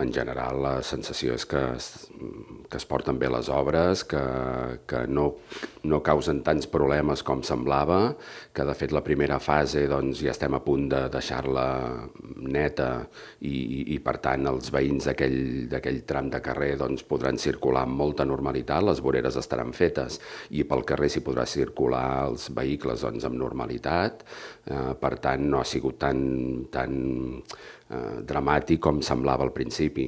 En general, la sensació és que es porten bé les obres, que no causen tants problemes com semblava, que de fet la primera fase doncs, ja estem a punt de deixar-la neta i per tant els veïns d'aquell tram de carrer doncs, podran circular amb molta normalitat, les voreres estaran fetes i pel carrer s'hi podrà circular els vehicles doncs, amb normalitat, per tant no ha sigut tan dramàtic com semblava al principi.